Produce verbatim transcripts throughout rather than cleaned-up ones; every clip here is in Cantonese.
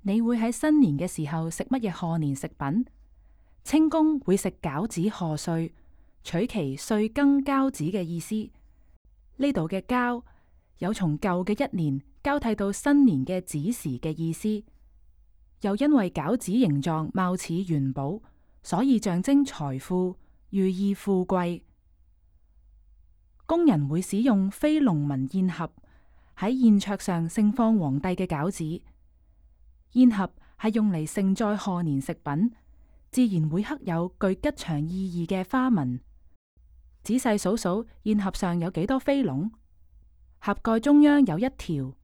你會喺新年嘅時候食乜嘢賀年食品？清宮會食餃子賀歲，取其歲庚交子嘅意思。呢度嘅交有從舊嘅一年交替到新年嘅子時嘅意思，又因為餃子形狀貌似元寶，所以象徵財富，寓意富貴。宮人會使用非龍紋宴盒喺宴桌上盛放皇帝嘅餃子。宴盒係用嚟盛載賀年食品，自然會刻有具吉祥意義嘅花紋。仔細數數，宴盒上有幾多飛龍？盒蓋中央有一條，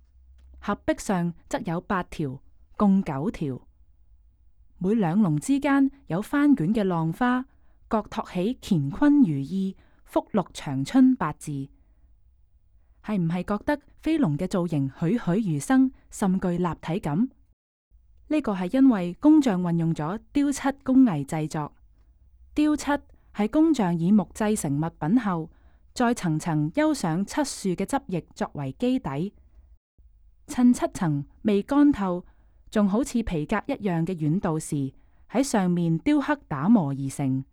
盒壁上則有八條，共九條。每兩龍之間有翻捲嘅浪花，各托起乾坤如意、福祿長春八字。係唔係覺得飛龍嘅造型栩栩如生，甚具立體感？呢個係因為工匠運用咗雕漆工藝製作。雕漆係工匠以木製成物品後，再層層釉上漆樹嘅汁液作為基底，趁漆層未乾透，仲好似皮革一樣嘅軟度時，喺上面雕刻打磨而成。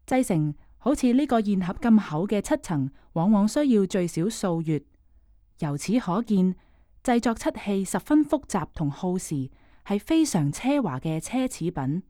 製成好似呢個宴盒咁厚嘅漆層，往往需要最少數月。由此可見，製作漆器十分複雜同耗時，係非常奢華嘅奢侈品。